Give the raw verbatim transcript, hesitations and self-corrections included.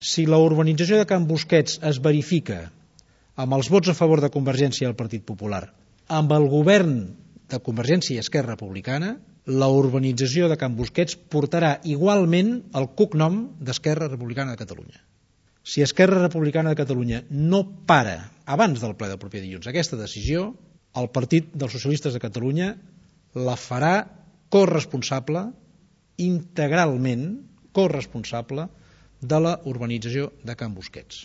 Si la urbanització de Can Busquets es verifica amb els vots a favor de Convergència i el Partit Popular, amb el govern de Convergència i Esquerra Republicana, la urbanització de Can Busquets portarà igualment el cognom d'Esquerra Republicana de Catalunya. Si Esquerra Republicana de Catalunya no para abans del ple del proper dilluns aquesta decisió, el Partit dels Socialistes de Catalunya la farà corresponsable, integralment corresponsable, de la urbanització de Can Busquets.